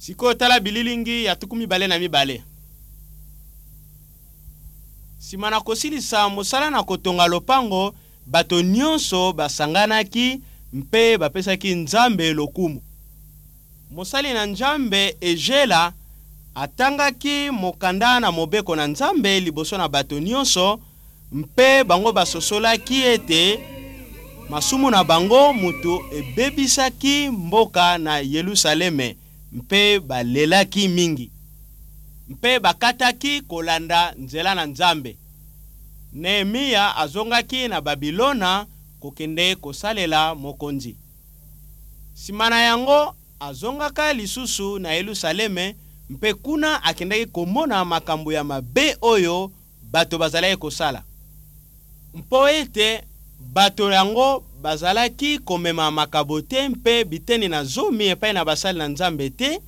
Sikoyo tala bililingi ya 22. Nsima na kosilisa mosala na kotonga lopango, bato nyonso basanganaki mpe bapesaki Nzambe lokumu. Mosali na Nzambe Ezela atangaki mokanda na mobeko na Nzambe liboso na bato nyonso, mpe bango basosolaki ete masumu na bango moto ebebisaki mboka na Yelusaleme, mpe balelaki mingi mpe bakataki kolanda nzela na Nzambe. Nehemia azongaki na Babilona kokende kosalela mokonzi. Nsima na yango azongaka lisusu na Yelusaleme, mpe kuna akendaki komona makambo ya mabe oyo bato bazalaki kosala. Mpo ete bato yango bazalaki komema makabo te mpe biteni na zomi epai na basali na Nzambe te,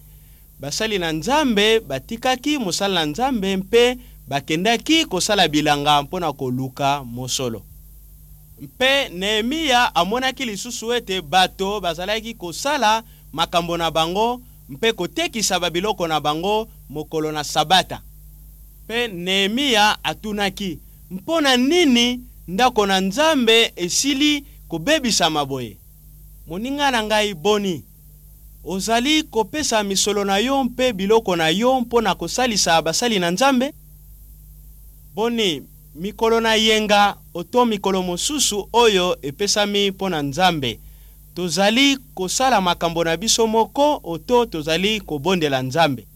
basali na Nzambe batikaki mosala na Nzambe mpe bakendaki kosala bilanga mpo na koluka mosolo. Mpe Nehemia amonaki lisusu ete bato bazalaki kosala makambo na bango mpe kotekisa babiloko na bango mokolo na Sabata. Mpe Nehemia atunaki, Mpo na nini ndako na Nzambe esili kobebisama boye? Moninga na ngai, boni, ozali kopesa misolo na yo mpe biloko na yo mpo na kosalisa basali na Nzambe? Boni, mikolo na yenga oto mikolo mosusu oyo epesami mpo na Nzambe, tozali kosala makambo na biso moko oto tozali kobondela Nzambe?